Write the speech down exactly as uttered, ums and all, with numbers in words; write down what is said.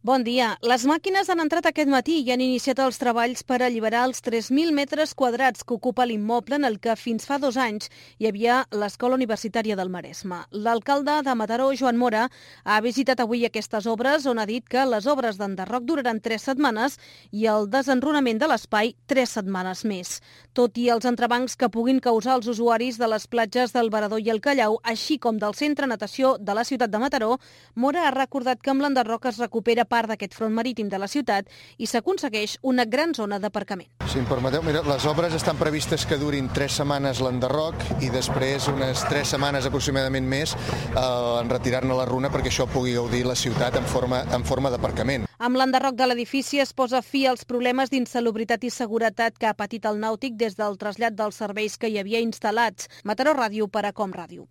Bon dia. Les màquines han entrat aquest matí i han iniciat els treballs per alliberar els tres mil metres quadrats que ocupa l'immoble en el que fins fa dos anys hi havia l'Escola Universitària del Maresme. L'alcalde de Mataró, Joan Mora, ha visitat avui aquestes obres on ha dit que les obres d'enderroc duraran tres setmanes i el desenrunament de l'espai tres setmanes més. Tot i els entrebancs que puguin causar als usuaris de les platges del Varador i el Callau, així com del centre natació de la ciutat de Mataró, Mora ha recordat que amb l'enderroc es recupera part d'aquest front marítim de la ciutat i s'aconsegueix una gran zona d'aparcament. Si em permeteu, mira, les obres estan previstes que durin tres setmanes l'enderroc i després unes tres setmanes aproximadament més eh, en retirar-ne la runa perquè això pugui gaudir la ciutat en forma, en forma d'aparcament. Amb l'enderroc de l'edifici es posa fi als problemes d'insalubritat i seguretat que ha patit el nàutic des del trasllat dels serveis que hi havia instal·lats. Mataró Ràdio per a Com Ràdio.